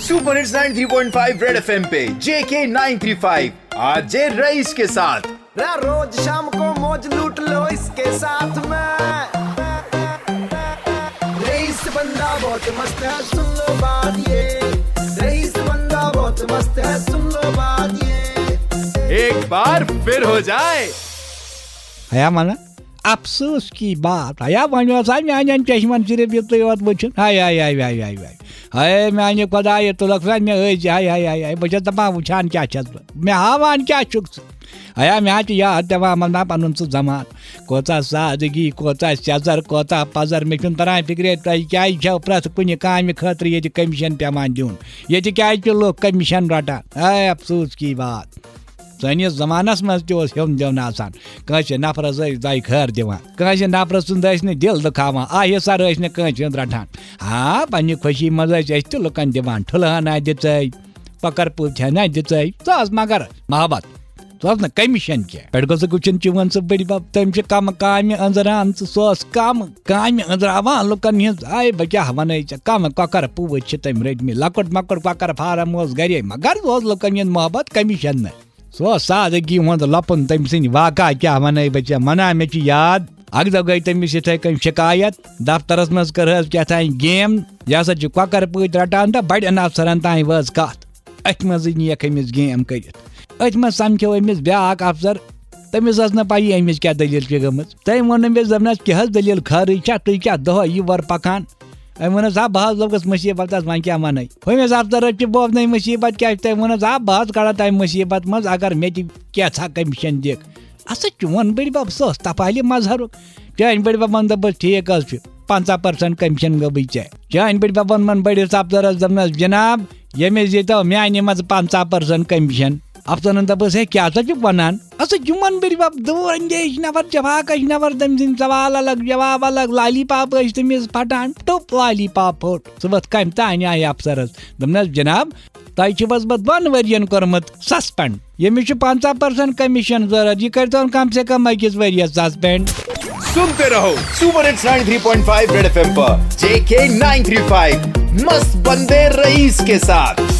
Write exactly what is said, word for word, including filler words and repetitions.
Super hits ninety three point five red FM पे JK nine three five, RJ Rais के साथ। रोज शाम को मौज लूट लो इसके साथ में। रईस बंदा बहुत मस्त है, सुन लो बात ये। रईस बंदा बहुत मस्त है, सुन लो बात ये। एक बार फिर हो जाए। ہیا ونان، افسوس کی بات، ہیا وۄنۍ اوس ہا میانٮ۪ن چشمن صرف یُتُے یوت وٕچھُن۔ ہاے ہاے ہاے ہاے ہاے ہاے۔ ہاے میانہِ خۄدایہِ، تُلکھ سا مےٚ أزۍ۔ ہاے ہاے ہاے ہاے، بہٕ چھَس دَپان، وٕچھان کیٛاہ چھَس بہٕ؟ مےٚ ہاوان کیٛاہ چھُکھ ژٕ؟ ہیا مےٚ ہا چھِ یاد پٮ۪وان، مطلب، پَنُن سُہ زمان۔ کۭژاہ سادگی، کۭژاہ سیٚزر، کۭژاہ پَزر۔ مےٚ چھُنہٕ تَران فِکرے، تۄہہِ کیٛازِ چھَو پرٛٮ۪تھ کُنہِ کامہِ خٲطرٕ ییٚتہِ کٔمِشن پٮ۪وان دیُن؟ ییٚتہِ کیٛازِ چھِ لُکھ کٔمِشن رَٹان؟ ہاے افسوس کی بات۔ سٲنِس زمانس منٛز تہِ اوس ہیوٚن دیوٚن آسان۔ کٲنٛسہِ نفرس ٲسۍ دۄیہِ خٲر دِوان، کٲنٛسہِ نفرٕ سُنٛد ٲسۍ نہٕ دِل دُکھاوان، آ حصہ ٲسۍ نہٕ کٲنٛسہِ ہُنٛد رٹان۔ ہاں، پننہِ خوشی منٛز ٲسۍ أسۍ تہِ لُکن دِوان، ٹھُلہٕ ہنا دِژے، کۄکر پوٗتۍ ہنا دِژے۔ سُہ ٲس مگر محبت، سُہ ٲس نہٕ کٔمِشن کینٛہہ۔ پٮ۪ٹھ گوٚژھُکھ وٕچھُن چون سُہ بٔڈِ بب، تٔمۍ چھِ کم کامہِ أنٛزراومژٕ، سُہ اوس کم کامہِ أنٛزراوان لُکن ہٕنٛز۔ آے بہٕ کیٛاہ ونَے ژےٚ، کم کۄکر پوٗتۍ چھِ تٔمۍ رٔٹمٕتۍ، لۄکُٹ مۄکُٹ کۄکر فارم اوس گرے، مگر سُہ اوس لُکن ہُنٛد محبت کٔمِشن نہٕ۔ سُہ اوس سادگی ہُنٛد لۄپُن، تٔمۍ سٕنٛدۍ واقعہ کیٛاہ وَنَے بہٕ ژےٚ۔ وَنان مےٚ چھِ یاد، اَکہِ دۄہ گٔے تٔمِس یِتھَے کٔنۍ شِکایت، دفترس منٛز کٔرہَس کیٛاہ تام گیم، یہِ ہسا چھِ کۄکر پٲٹھۍ رَٹان تہٕ بَڑٮ۪ن افسرن تام وٲژ کَتھ۔ أتھۍ منٛزٕے نِیَکھ أمِس گیم کٔرِتھ۔ أتھۍ منٛز سَمکھیو أمِس بیٛاکھ افسر، تٔمِس ٲس نہٕ پَیی أمِس کیٛاہ دٔلیٖل چھِ گٔمٕژ۔ تٔمۍ ووٚن أمِس، دوٚپنَس، کیٛاہ حظ دٔلیٖل، خٲرٕے چھا؟ تُہۍ کیٛاہ دۄہَے یہِ وَر پَکان؟ أمۍ ووٚنُس، ہا بہٕ حظ لوٚگُس مُصیٖبتَس، وۄنۍ کیٛاہ وَنَے؟ ہُمِس افسرَس چھِ بوزنَے مُصیٖبت کیٛاہ چھِ۔ تٔمۍ ووٚنُس، ہا بہٕ حظ کَڑا تَمہِ مُصیٖبت منٛز، اگر مےٚ تہِ کینٛژھا کٔمِشَن دِکھ۔ اَسا چون بٔڈِ بَب، سُہ اوس تَپالہِ مظہرُک۔ چٲنۍ بٔڈِ بَبَن دوٚپُس، ٹھیٖک حظ چھُ، پنٛژاہ پٔرسَنٛٹ کٔمِشَن گوٚبٕے ژےٚ۔ چٲنۍ بٔڈِ بَبَن ووٚن بٔڈِس افسرَس، دوٚپنَس، جِناب، ییٚمِس دِتو میٛانہِ منٛزٕ پنٛژاہ پٔرسَنٛٹ کٔمِشَن۔ افسرَن دوٚپُس، ہے کیٛاہ سا چھُکھ وَنان؟ اَسا چون بٔڈِ بَب، دوٗر اندیش نفر، جفاکش نفر، تٔمۍ سٕنٛدۍ سوال الگ، جواب الگ، لالی پاپ ٲسۍ تٔمِس پھٹان، ٹوٚپ لالی پاپ پھوٚٹ۔ سُہ ووٚتھ کَمہِ تانۍ آیہِ افسرَس، دوٚپنَس، جِناب، تۄہہِ چھُ حظ بہٕ دۄن ؤرین کوٚرمُت سسپینڈ، ییٚمِس چھُ پنٛژاہ پٔرسنٹ کٔمِشن ضروٗرت، یہِ کٔرۍتون کم سے کم أکِس ؤرِیَس سسپینڈ۔ सुनते रहो super hits ninety three point five red FM पर जेके नाइन थ्री फ़ाइव, मस्त बंदे रईस के साथ।